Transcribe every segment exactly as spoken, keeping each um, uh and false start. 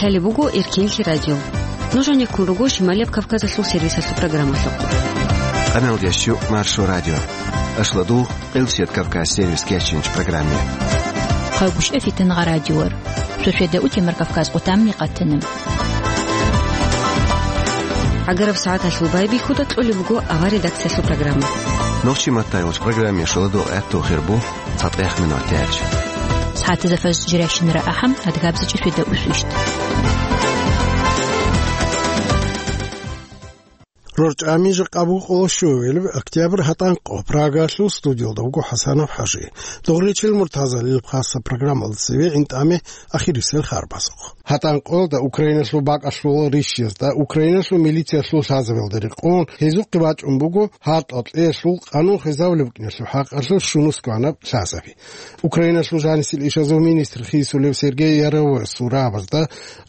Гьале буго Эркенлъи радио. Нуж гьанеккун руго Шималияб Кавказалъул сервисалъул программалъухъ. Къаналдеш чӀу Маршо радио. Ашладул Къилсият Кавказ сервис кечинч программе. Хъавгушев Фитангъа радиор. Шошеда утемар Кавказ къутамни къатана. ГӀагараб сагӀаталъул байбихьуда кьолеб буго авар редакциялъул программа. Нохчи маттайолч программе шоладул гӀатту хирбу. ЦатӀех минутач. СагӀатазда фажр жирайщинара ахӀам, адгабзичӀи шведа усвищт. РорчӀами жакъа буго къоло щуевелеб октябрь гьатӀан къо. Прагалъул студиялда вуго ХӀасанов ХӀажи. Догъричил Муртазалил хасса программалда цеве гӀинтӀаме ахирисел харбазухъ. ГьатӀан къоялда Украиналъул бакӀалъул рищиязда, Украиналъул милициялъул лъазабиялда рекъон, гьезухъе бачӀун буго гьартӀал кьеялъул къанун хвезавулеб букӀиналъул хӀакъалъулъ щунус кканаб лъазаби. Украиналъул жанисел ишазул министр хисулев Сергей Яровой сурабазда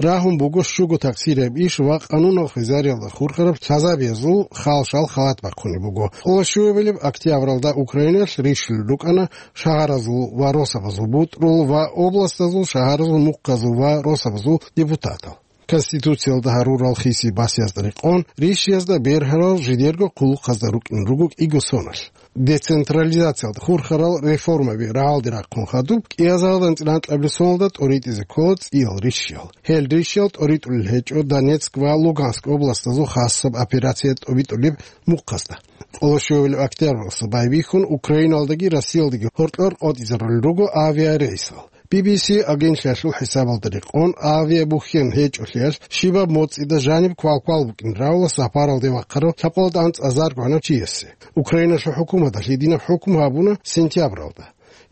рагьун буго щуго такъсирияб иш ва къанунал хвезариялда хурхараб лъазабиязул халшал халат бахъунеб буго. Къоло щуевелеб октябралда Украиналъ рищулел рукӀана шагьаразул ва росабазул бутӀрул ва областазул, шагьаразул, мухъазул ва росабазул депутатал. Конституциялда гьарурал хиси басиязда рекъон, рищиязда бергьарал жидерго хъулухъазда рукӀин руго кӀиго соналъ. Децентрализациялда хурхарал реформаби рагӀалде рахъун хадуб, кӀиазаралда анцӀила анкьабилеб соналда тӀоритӀизе ккола цӀиял рищиял. Гьел рищиял тӀоритӀулел гьечӀо Донецк ва Луганск областазул хасаб операция тӀобитӀулеб мухъазда. Къоло щуевелеб октябралъа байбихьун Украиналдаги Россиялдаги гьоркьор къотӀизарулел руго авиарейсал. Би би си агентлъиялъул хӀисабалда рекъон, авиабухьен гьечӀолъиялъ щибаб моцӀида жаниб квалквал букӀин равла сапаралде вахъарав лъабкъоялда анцӀазарго гӀанав чиясе. Украиналъул хӀукуматалъ гьединаб хӀукму гьабуна сентябралда.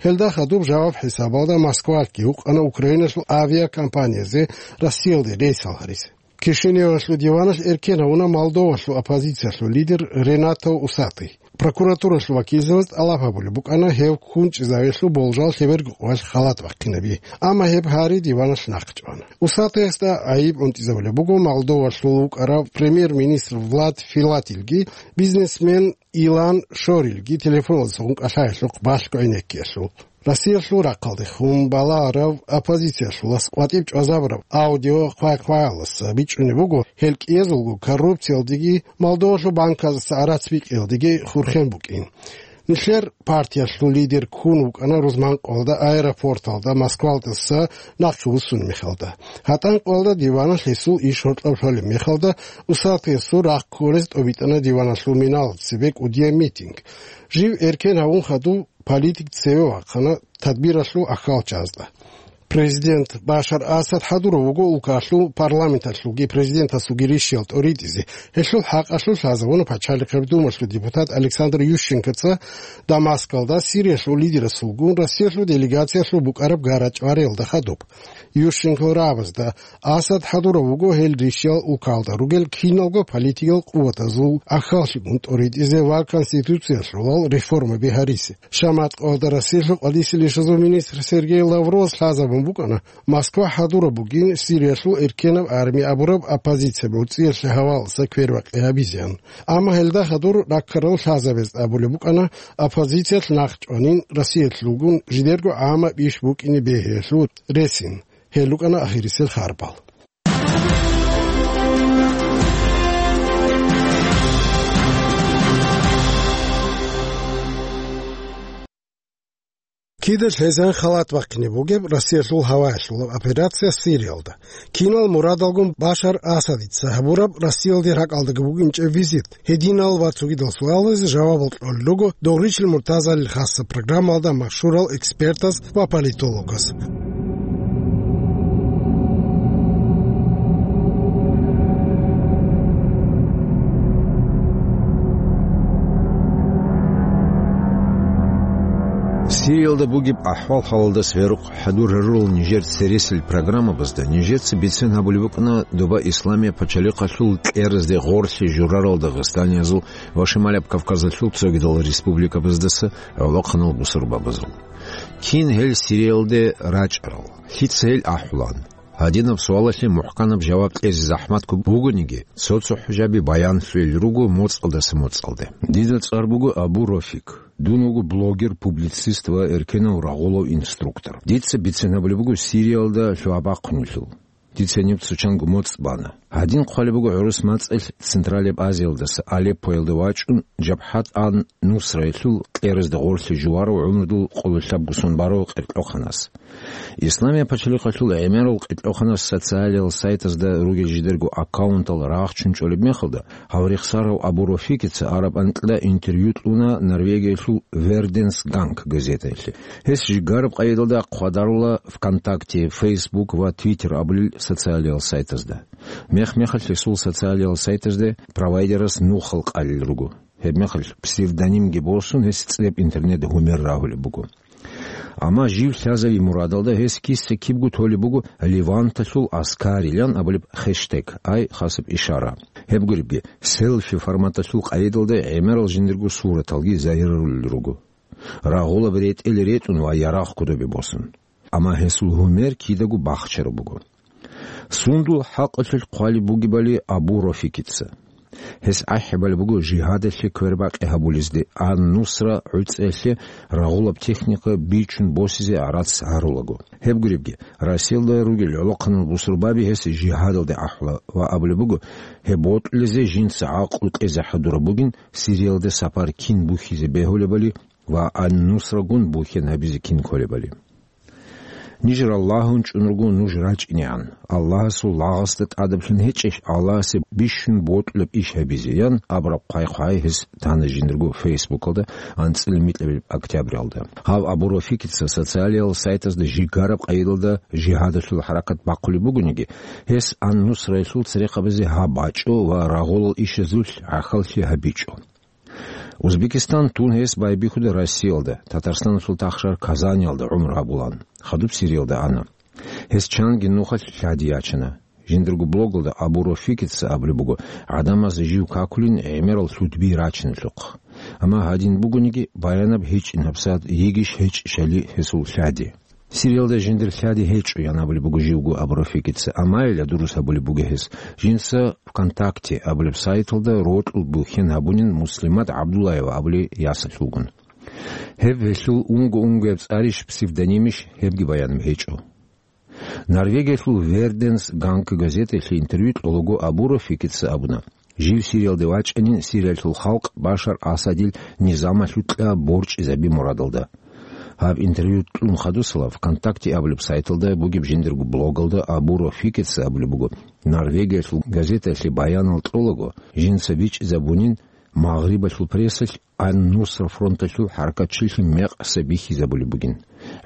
Гьелда хадуб жаваб хӀисабалда Москвалъги гьукъана Украиналъул авиакомпаниязе Россиялде рейсал гьаризе. Кишиневалъул диваналъ эркен гьавуна Молдовалъул оппозициялъул лидер Ренато Усатый. Прокуратуралъул вакилзабаз тӀалаб гьабулеб букӀана гьев ккунчӀезавиялъул болжал лъеберго къоялъ халат бахъинаби, амма гьеб гьари диваналъ нахъчӀвана. Усатыясда гӀайиб унтӀизабулеб буго Молдовалъул вукӀарав премьер-министр Влад Филатилги, бизнесмен Илан Шорилги телефоналдаса гъункъалъаялъухъ балъго гӀенеккиялъул. Россиялъул рахъалдехун балагьарав оппозициялъулас къватӀиб чӀвазабураб аудио хъвай-хъваялдаса бичӀчӀунеб буго, гьел кӀиязулго коррупциялдеги Молдовалъул банказдаса гӀарац бикьиялдеги хурхен букӀин. Нилъер партиялъул лидер ккун вукӀана рузманкъоялда аэропорталда Москвалдаса нахъе вуссун мехалда. ГьатӀанкъоялда диваналъ гьесул иш гьоркьоб лъолеб мехалда, Усатыясул рахъ кколез тӀобитӀана диваналъул миналда цебе кӀудияб митинг. Жив эркен гьавун хадуб, политик цеве вахъана тадбиралъул ахьалчазда. Президент Башар Асад хӀадурав вуго улкалъул парламенталъулги президентасулги рищиял тӀоритӀизе. Гьелъул хӀакъалъулъ лъазабуна Пачалихъаб Думалъул депутат Александр Ющенкоца Дамаскалда Сириялъул лидерасулгун Россиялъул делегациялъул букӀараб гарачӀвариялда хадуб. Ющенкол рагӀабазда Асад хӀадурав вуго гьел рищиял улкалда ругел киналго политикал къуватазул ахьаллъигун тӀоритӀизе ва конституциялъулал реформаби гьаризе. Шаматкъалда Россиялъул къвалиселищазул министр Сергей Лавровас лъазабун букӀана, Москва хӀадураб бугин Сириялъул эркенаб арми абураб оппозиция муцӀиялъе гьаваласа квербакъи гьабизеян. Амма гьелда хадур раккарал лъазабез абулеб букӀана, оппозициялъ нахъ чӀванин Россиялъулгун жидерго гӀамаб иш букӀине бегьиялъул ресин. Гьел рукӀана ахирисел харбал. Кида лъезан халат бахъине бугеб Россиялъул гьаваялъулаб операция Сириялда? Кинал мурадалгун Башар Асадица гьабураб Россиялде ракӀалдаги букӀинчӀеб визит? Гьединал ва цогидал суалазе жавабал кьолел руго Догъричил Муртазалил хасса программалда машгьурал экспертаз ва политологаз. Сириялда бугеб ахӀвал-хӀалалдаса гӀерукъ хӀадур гьарурал нижер цересел программабазда нижеца бицен гьабулеб букӀана доба Исламияб пачалихъалъул кьеразде гъорлъи журарал дагъистаниязул ва Шималияб Кавказалъул цогидал республикабаздаса гӀолохъанал бусурбабазул. Кин гьел Сириялде рачӀарал? Лъица гьел ахӀулан? Гьадинаб суалалъе мухӀканаб жаваб кьезе захӀматго бугониги, цо-цо хӀужаби баянлъугьел руго моцӀалдаса моцӀалде. Дида цӀар буго Абу Рофик. Дун вуго блогер, публицист ва эркенав рагъулав инструктор. Дица бицен гьабулеб буго Сириялда лъугьа-бахъунелъул. Дица гьениб цо чанго моцӀ бана. Гьадин хъвалеб буго гӀурус мацӀалъ Централияб Азиялдаса Алеппоялде вачӀун, Жабхат ан-Нусраялъул кьеразда гъорлъе жуварав гӀумрудул къоло лъабго сон барав къеркьохъанас. Исламияб пачалихъалъул гӀемерал къеркьохъанас социалиял сайтазда ругел жидерго аккаунтал рагъчун чӀолеб мехалда, гьав рехсарав Абу Рафикица араб анкьда интервью кьуна Норвегиялъул Верденс Ганг газетаялъе. Гьес жигараб къайдалда хъвадарула ВКонтакте, Фейсбук ва Твиттер абулел социалиял сайтазда. Мех-мехалъ гьесул социалиял сайтазде провайдерас нухал къалел руго. Гьеб мехалъ псевдонимги босун, гьес цӀеб интернет гьумер рагьулеб буго. Амма жив лъазави мурадалда гьес киса-кибго толеб буго Леванталъул аскарилан абулеб хештег, ай хасаб ишара. Гьеб гуребги, селфи форматалъул къайдалда гӀемерал жиндирго сураталги загьирарулел руго. Рагъулаб ретӀел ретӀун ва ярагъ кодобе босун. Амма гьесул гьумер кидаго бахчараб буго. Сундул хӀакъалъулъ хъвалеб бугебали Абу Рафикица. Гьес ахӀи балеб буго жигьадалъе квербакъи гьабулезде, ан-Нусра гӀуцӀиялъе рагъулаб техника бичун босизе гӀарац гьарулаго. Гьеб гуребги, Россиялда ругел гӀолохъанал бусурбаби гьес жигьадалде ахӀула ва абулеб буго, гьеб бокьулезе жинца гӀакълу кьезе хӀадураб бугин, Сириялда сапар кин бухьизе бегьулебали ва ан-Нусрагун бухьен гьабизе кин кколебали. Ниж Аллагьун чӀун руго нуж рачӀинегӀан. Аллагьасул лагъасда тӀадаблъун гьечӀищ Аллагьасе бищун бокьулеб иш гьабизе? — ян абураб хъвай-хъвай гьес тана жиндирго Фейсбукалда анцӀила микьабилеб октябралда. Гьав Абу Рафикица социалиял сайтазда жигараб къайдалда жигьадалъул хӀаракат бахъулеб бугониги, гьес ан-Нусраялъул церехъабазе гьаб бачӀо ва рагъулал ишазулъ гӀахьаллъи гьабичӀо. Узбекистан тун гьес байбихьуда Россиялда, Татарстаналъул тахшар Казаниялда гӀумру гьабулан, хадуб Сириялда ана. Гьес чанги нухалъ лъади ячана. Жиндирго блогалда Абу Рафикица абулеб буго, гӀадамаз жив какулин гӀемерал лъудби рачиналъухъ. Амма гьадин бугониги, баянаб гьечӀин гьабсагӀат йигищ гьечӀищали гьесул лъади. Сириялда жиндир лъади гьечӀо, ян абулеб буго живго Абу Рафикица, амайила дурус гьабулеб буго гьес. Жинца ВКонтакте абулеб сайталда рокьул бухьен гьабунин Муслимат ГӀабдуллаева абулей ясалъулгун. Гьеб гьелъул унго-унгояб цӀарищ, псевдонимищ, гьебги баянаб гьечӀо. Норвегиялъул Верденс Ганг газеталъе интервью кьолаго Абу Рафикица абуна, жив Сириялде вачӀанин Сириялъул халкъ Башар Асадил низамалъукьа борчӀизаби мурадалда. Гьаб интервью кьун хадусала ВКонтакте абулеб сайталда бугеб жиндирго блогалда Абу Рафикица абулеб буго, Норвегиялъул газеталъе баянал кьолаго, жинца бичӀчӀизабунин Магърибалъул прессалъ Ан-Нусра фронталъул хӀаракатчилъи мекъса бихьизабулеб бугин.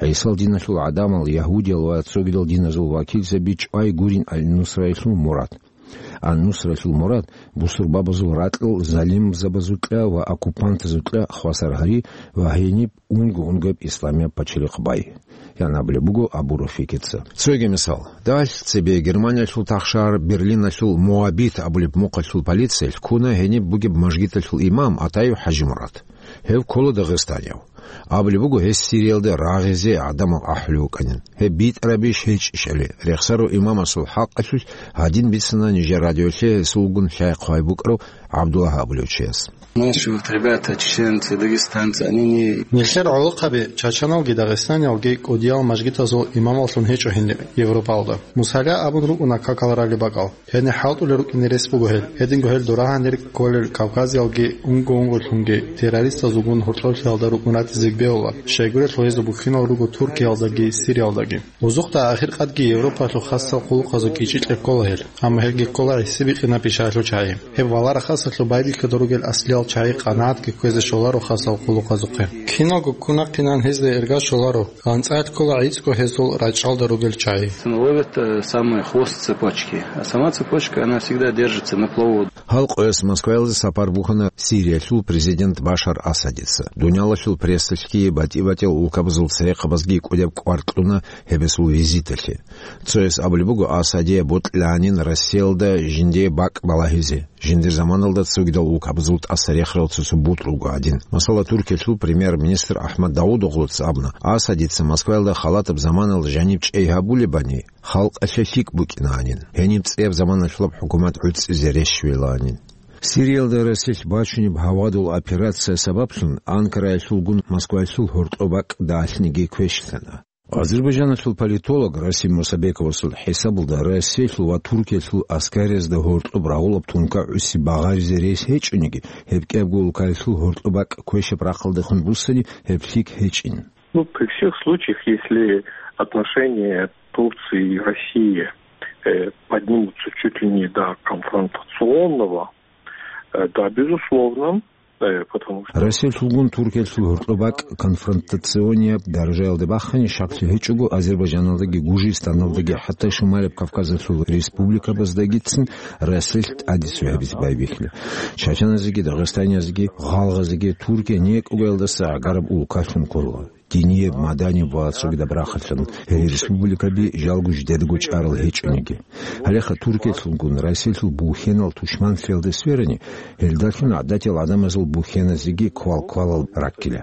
ГӀисал диналъул гӀадамал, ягьудиял ва цогидал диназул вакилзаби чӀвай гурин Ан-Нусраялъул мурад. Ан-Нусраялъул мурад бусурбабазул ракьал залимзабазукьа ва оккупантазукьа хвасар гьари ва гьениб унго-унгояб исламияб пачалихъ бай, ян абулеб буго Абу Рафикица. Цоги мисал. Дагьалъ цебе Германиялъул тахшар Берлиналъул Моабит абулеб мухъалъул полициялъ ккуна гьениб бугеб мажгиталъул имам Атаев ХӀажимурад. Гьев ккола дагъистанияв. Абулеб буго, гьес Сириялда рагъизе гӀадамал ахӀулев вукӀанин. Гьеб битӀарабищ гьечӀищали, рехсарав имамасул хӀакъалъулъ гьадин бицана нижер радиолъе гьесулгун лъай-хъвай букӀарав ГӀабдуллагь абулев чияс. Наши вот ребята, чеченцы, дагестанцы, они не... Нилъер гӀолохъаби, чачаналги дагъистаниялги кӀудиял мажгитазул имамаллъун гьечӀо гьениб Европалда. Мусала абун рукӀуна какал ралеб бакӀал. Гьенир хӀалтӀулел рукӀине рес буго гьел. Гьединго гьел дора гьанир кколел кавказиялги унго-унголъунги террористазулгун гьоркьоблъиялда рукӀун ратизе бегьула, щайгурелъул гьезул бухьинал руго Туркиялдаги Сириялдаги. Озухъда ахиркъадги Европалъул хасал хъулухъазул кӀичӀи кьеккола гьел. Амма гьелги ккола гӀисибикьинаб бишаялъул чагӀи. Гьеб валарахъасалъул байбихьуда ругел аслиял чагӀи къанагӀатги кквезе щоларо хасал хъулухъазухъе. Киналго ккунахъинан гьезда эрга щоларо, анцӀила ккола гӀицӀго гьезул рачӀалда ругел чагӀи. Ловят, э, самый хвост цепочки, а сама цепочка, она всегда держится на плаву. Гьал къоялъ Москваялде сапар бухьана Сириялъул президент Башар Асадица. Дуниялалъул прессалъги батӀи-батӀиял улкабазул церехъабазги кӀудияб кӀвар кьуна гьеб гьесул визиталъе. Цояс абулеб буго, Асадие бокьилаанин Россиялда жиндие бакӀ балагьизе, жиндир заманалда цогидал улкабазул тӀаса рехарал цо-цо бутӀрулго гӀадин. Масала, Туркиялъул премьер-министр Ахмад Давудоглуца абуна, Асадица Москваялда халатаб заманалда жаниб чӀей гьабулебани, халкъалъе лъикӀ букӀинаанин, гьениб цӀияб заманалъулаб хӀукумат гӀуцӀизе рещвелаанин. Сириялда Россиялъ бачунеб гьавадул операция сабаблъун Анкараялъулгун Москваялъул гьоркьоб бакӀ далъниги квешлъана. Азербайджаналъул политолог Расим Мусабековасул хӀисабалда, Россиялъул ва Туркиялъул аскариязда гьоркьоб рагъулаб тункагӀуси багъаризе рес гьечӀониги, гьеб кӀиябго улкаялъул гьоркьоб бакӀ квешаб рахъалдехун буссани, гьеб лъикӀ гьечӀин. Ну, при всех случаях, если отношения Турции и России, э, поднимутся чуть ли не до конфронтационного, э, да, безусловно, э, потому что Россиялъулгун Туркиялъул гьоркьоб бакӀ конфронтационияб даражаялде бахъани, щаклъи гьечӀого Азербайджаналдаги Гужистаналдаги, хӀатта Шималаб Кавказалъул республикабаздагицин Россиялъ тӀаде цо гьабизе байбихьила. Чачаназеги, дагъистаниязеги, гъалгъазеги Туркия некӀугаялдаса гӀагараб улкалъун ккола. Динияб, маданияб ва цогидаб рахъалъан гьел республикаби жалго жидедаго чӀарал гьечӀониги. Гьалеха Туркиялъулгун Россиялъул бухьенал тушманлъиялде сверани, гьелдалъун гӀадатиял гӀадамазул бухьеназеги квал-квалал раккила.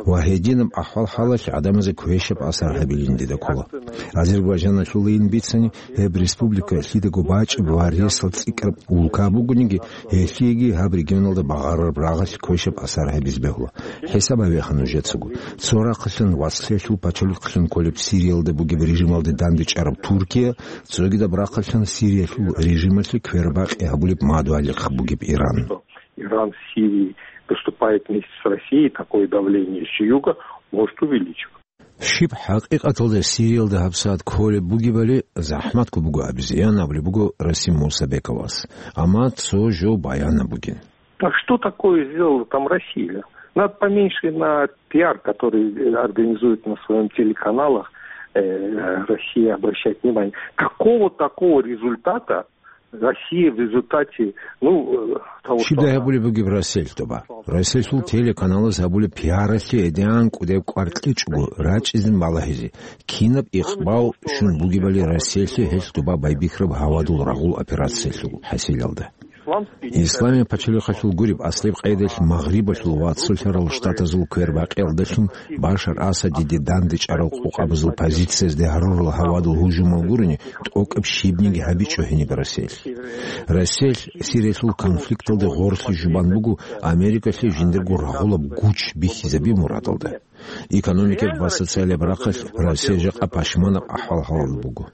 Ва гьединаб ахӀвал-хӀалалъ гӀадамазе квешаб асар гьабилин дида ккола. Азербайджаналъулайин бицани, гьеб республика лъидаго бачӀеб ва ресал цӀикӀкӀараб улка бугониги, гьелъиеги гьаб регионалда багъарараб рагъалъ квешаб асар гьабизе бегьула. ХӀисаб гьабеха нужецаго. Цо рахъалъан вацлъиялъул пачалихълъун кколеб Сириялда бугеб режималде дандечӀараб Туркия, цогидаб рахъалъан Сириялъул режималъе квербакъи гьабулеб мадугьалихъ бугеб Иран. Иран в Сирии выступает вместе с Россией, такое давление с юга может увеличиваться. Щиб хӀакъикъаталда Сириялда гьабсагӀат кколеб бугебали захӀматго буго абизе, ян абулеб буго Расим Мусабековас. Амма цо жо баянаб бугин. А что такое сделала там Россия? Надо поменьше на пиар, который, э, организует на своём телеканалах, э, Россия обращать внимание. Какого такого результата Россия в результате, ну, э, того, что Щибдай она гьабулеб бугеб Россиялъ тӀоба? Россиялъул телеканалаз гьабулеб пиаралъе гьедигӀан кӀудеб кӀвар кьечӀого, рачӀизе балагьизе, кинаб икъбал щун бугебали Россиялъе гьелъ тӀоба байбихьараб гьавадул рагъул операциялъул хӀасилалда. Исламияб пачалихъалъул гуреб аслаб къайдалъ Магърибалъул ва Цолъарал Штатазул квербакъиялдалъун Башар Асадиде дандечӀарал къокъабазул позициязде гьарурал гьавадул гьужумал гурони, тӀокӀаб щибниги гьабичӀо гьениб Россиялъ. Россиялъ Сириялъул конфликталде гъорлъи жубан буго Америкалъе жиндирго рагъулаб гуч бихьизаби мурадалда. Экономикаб ва социалияб рахъалъ Россия жакъа пашманаб ахӀвал-хӀалалда буго.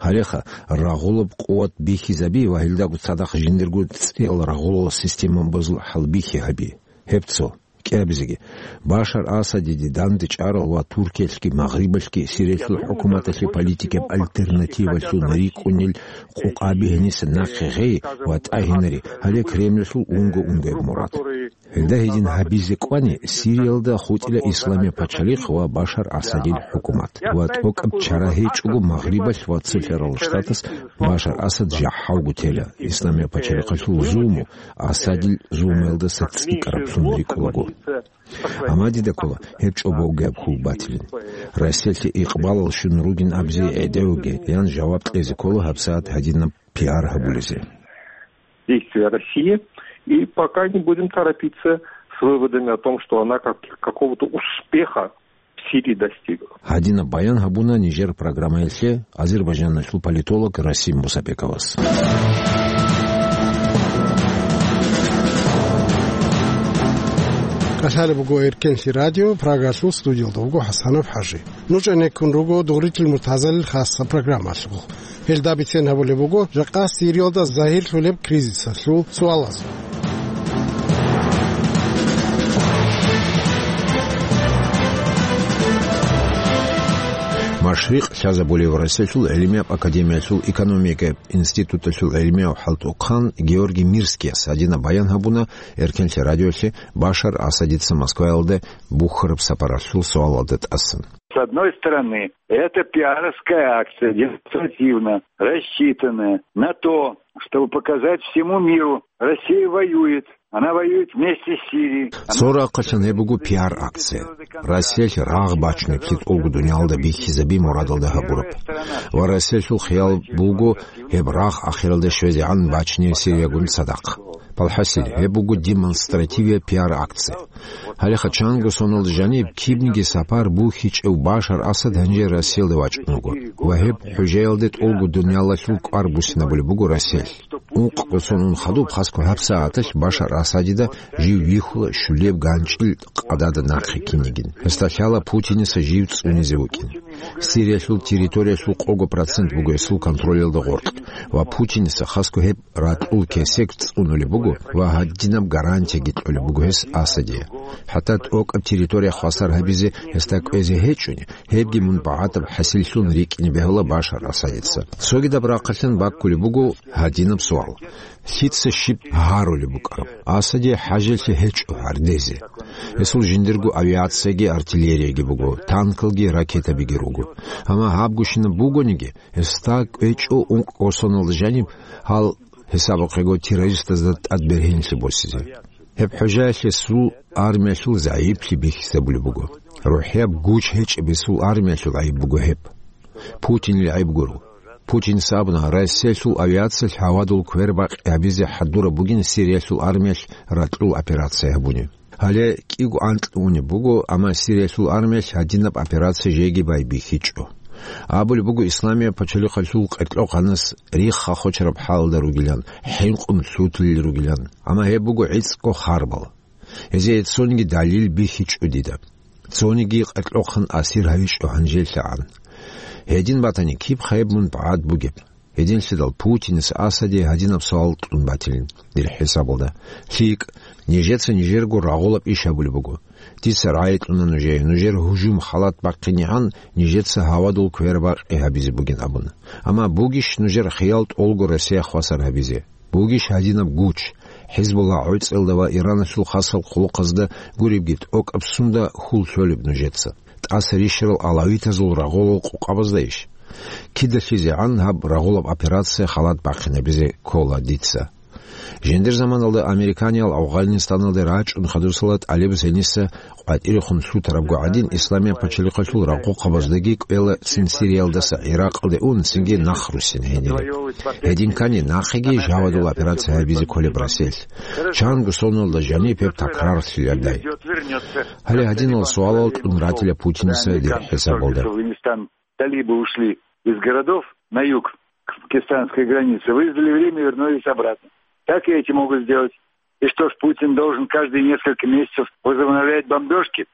Гьалеха, рагъулаб къуват бихьизаби ва гьелдаго цадахъ жиндирго цӀиял рагъулал системабазул хӀалбихьи гьаби. Гьеб цо. КӀиабизеги, Башар Асадиде дандечӀарал ва Туркиялъги Магърибалъги Сириялъул хӀукуматалъе политикаб альтернативалъун рикӀкӀунел къокъаби гьениса нахъе гъей ва тӀагьинари, гьале Кремльалъул унго-унгояб мурад. Гьелда гьедин гьабизе кӀвани, Сириялда хутӀила Исламияб пачалихъ ва Башар Асадил хӀукумат, ва тӀокӀаб чара гьечӀого Магърибалъ ва Цолъарал Штатас Башар Асад жахӀалго тела, Исламияб пачалихъалъул зулму Асадил зулмуялдаса цӀикӀкӀараблъун рикӀкӀунаго. Амма дида ккола гьеб чӀобовгияб хьул батилин. Россиялъе икъбалал щун ругин абизе гӀедевги, ян жаваб кьезе ккола гьабсагӀат гьадинаб пиар гьабулезе. Действия России, и пока не будем торопиться с выводами о том, что она как, какого-то успеха в Сирии достигла. Гьадинаб баян гьабуна нижер программаялъе Азербайджаналъул политолог Расим Мусабековас. КӀалъалеб буго Эркенлъи радио, Прагалъул студиялда вуго ХӀасанов ХӀажи. Нуж гӀенеккун руго Дугъритил Муртазалил хасса программалъухъ. Гьелда бицен гьабулеб буго жакъа Сириялда загьирлъулеб кризисалъул суалаз. Машрикъ лъазабулев Россиялъул гӀилмияб академиялъул экономикаяб институталъул гӀилмияв хӀалтӀухъан Георгий Мирскияс гьадинаб баян гьабуна Эркенлъи радиоялъе Башар Асадица Москваялде бухьараб сапаралъул суалалда тӀасан. С одной стороны, это пиаровская акция, демонстративно рассчитанная на то, чтобы показать всему миру: Россия воюет, она воюет вместе с Сирией. Цо рахъалъан гьеб буго пиар-акция. Россиялъ рагъ бачунеблъи тӀолго дуниялда бихьизаби мурадалда гьабураб. Ва Россиялъул хиял буго гьеб рагъ ахиралде щвезегӀан бачине Сириягун цадахъ. Балхасил, гьеб буго демонстративия пиар-акция. Гьалеха чанго соналда жаниб кибниги сапар бухьичӀев Башар Асад гьанже Россиялде вачӀун вуго ва гьеб хӀужаялде тӀолго дуниялалъул кӀвар буссинабулеб буго Россиялъ. Ункъго сон ун хадуб хасго гьабсагӀаталъ Башар Асадида жив вихьула щулеб ганчӀил къадада нахъе кинигин. Гьесда лъала Путиниса жив цӀунизе вукӀин. Сириялъул территориялъул къого процент буго гьесул контролялда гъоркь, ва Путиниса хасго гьеб ракьул кесек цӀунулеб буго ва гьадинаб гарантияги кьолеб буго гьес Асадие. ХӀатта тӀокӀаб территория хвасар гьабизе гьесда кӀвезе гьечӀони, гьебги мун багӀатаб хӀасиллъун рикӀкӀине бегьула Башар Асадица. Цогидаб рахъалъан баккулеб буго гьадинаб суал: лъица щиб гьарулеб букӀараб? Асаде хӀажалъи гьечӀо гьардезе. Гьесул жиндирго авиацияги артиллерияги буго, танкалги ракетабиги руго. Амма гьабгощинаб бугониги, гьесда кӀвечӀо ункъго соналда жаниб гьал, гьесабухъего, террористазда тӀад бергьенлъи босизе. Гьеб хӀужаялъе гьесул армиялъул загӀиплъи бихьизабулеб буго. РухӀияб гуч гьечӀеб гьесул армиялъул гӀайиб буго гьеб. Путинил гӀайиб гуро. Путинас абуна, Россиялъул авиациялъ гьавадул квербакъи гьабизе хӀадураб бугин Сириялъул армиялъ ракьул операция гьабуни. Гьале кӀиго анкьго унеб буго, амма Сириялъул армиялъ гьадинаб операция жеги байбихьичӀо. Абулеб буго, Исламияб пачалихъалъул къеркьохъанас рихха хочараб хӀалда ругилан, хӀинкъун лъутулел ругилан, амма гьеб буго гӀицӀго харбал. Гьезие цониги далил бихьичӀо дида. Цониги къеркьохъан асир гьавичӀо гьанжелъагӀан. Гьедин батани, киб хайб мун багӀад бугеб? Гьединлъидал Путинас Асаде гьадинаб суал кьун батилин, дир хӀисабалда. ЛъикӀ, нижеца нижерго рагъулаб иш гьабулеб буго. Дица рагӀи кьуна нужее, нужер гьужум халат бахъинегӀан нижеца гьавадул квербакъи гьабизе бугин абун. Амма бугищ нужер хиял тӀолго Россия хвасар гьабизе? Бугищ гьадинаб гуч, ХӀизбулла гӀоцӀелда ва Ираналъул хасал хъулухъазда гуребги тӀокӀаб сунда хьул лъолеб нужеца? ТӀаса рищарал алавитазул рагъулал къукъабазда иш? КидалъизегӀан гьаб рагъулаб операция халат бахъинабизе ккола дица. Жиндир заманалда американиял Афганистаналде рачӀун хадусала тӀалиб зениса къватӀирехун лъутарабго гӀадин, Исламияб пачалихъалъул рагъухъабаздаги кӀвела цин Сириялдаса ГӀиракъалде ун, цинги нах руссин гьенире. Гьедин ккани, нахъеги жавадул операция гьабизе кколеб Россиялъ. Чанго соналда жаниб гьеб такрарлъиладай. Гьале гьадинал суалал кьун ратила Путиниса дир хӀисабалда. Талибы ушли из городов на юг, к пакистанской границе, выждали время, вернулись обратно. Так и эти могут сделать. И что ж, Путин должен каждые несколько месяцев возобновлять бомбёжки?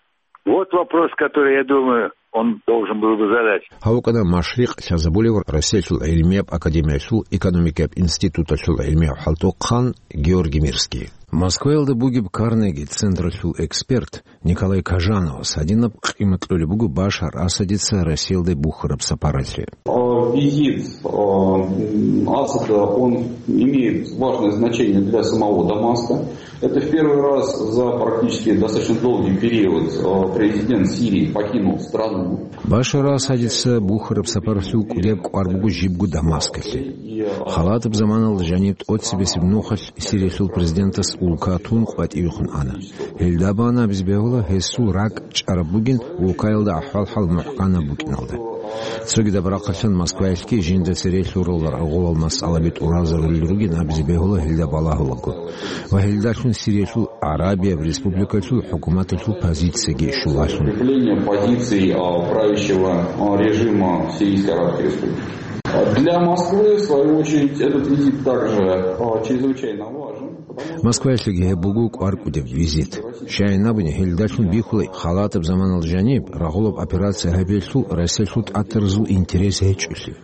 Вот вопрос, который, я думаю, он должен был бы задать. Гьав вукӀана Машрикъ лъазабулев Россиялъул гӀилмияб академиялъул экономикияб институталъул гӀилмияв хӀалтӀухъан Георгий Мирский. Москваялда бугеб Карнеги централъул эксперт Николай Кажановас гьадинаб къимат кьолеб буго Башар Асадица Россиялде бухьараб сапаралъе. А, визит, а, м, Асада, он имеет важное значение для самого Дамаска. Это в первый раз за практически достаточно долгий период, а, президент Сирии покинул страну. Башар Асадица бухьараб сапаралъул кӀудияб кӀвар буго жибго Дамаскалъе. Халатаб заманалда жаниб тӀоцебесеб нухалъ Сириялъул президентас улка тун къватӀивехун ана. Гьелда бан абизе бегьула гьесул ракӀ чӀараб бугин улкаялда ахӀвал-хӀал мухӀканаб букӀиналда. Цогидаб рахъалъан Москваялъги жинда цере лъурал рагъулал масъалаби тӀуразарулел ругин абизе бегьула гьелда балагьулаго. Ва гьелдалъун Сириялъул ГӀарабияб Республикалъул хӀукуматалъул позицияги щулалъун. Укрепление позиций, а, правящего, а, режима в Сирийской Арабской Республике. А для Москвы, в свою очередь, этот визит также, а, чрезвычайно важен, потому что Москваялъеги гьеб буго кӀвар кӀудеб визит. Щайин абуни, гьелдалъун бихьула халатаб заманалда жаниб рагъулаб операция гьабиялъул Россиялъул тӀатаразул интерес гьечӀолъи.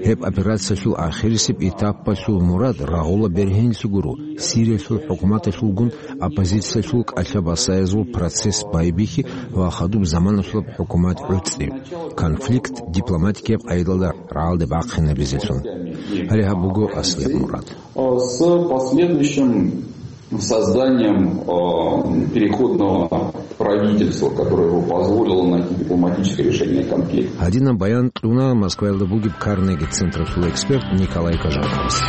Гьеб операциялъул ахирисеб этапалъул мурад рагъула бергьенлъи гуро Сириялъул хӀукуматалъулгун оппозициялъул кӀалъа-басаязул процесс байбихьи ва хадуб заманалъулаб хӀукумат гӀуцӀи, конфликт дипломатикияб къайдалда рагӀалде бахъинабизелъун. Гьале гьаб буго аслияб мурад. С последующим созданием, э, переходного правительства, которое бы позволило найти дипломатическое решение конфликта. Гьадинаб баян кьуна Москваялда бугеб Карнеги централъул эксперт Николай Кажановас.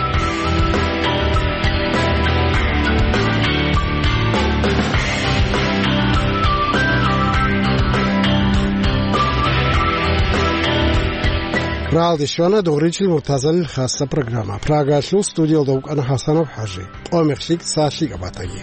Ралдищвана дугъричил муртазалил хасса программа. Прагалъул студиялда вукӀана ХӀасанов ХӀажи. Къо мехлъик цалъикӀа батаги.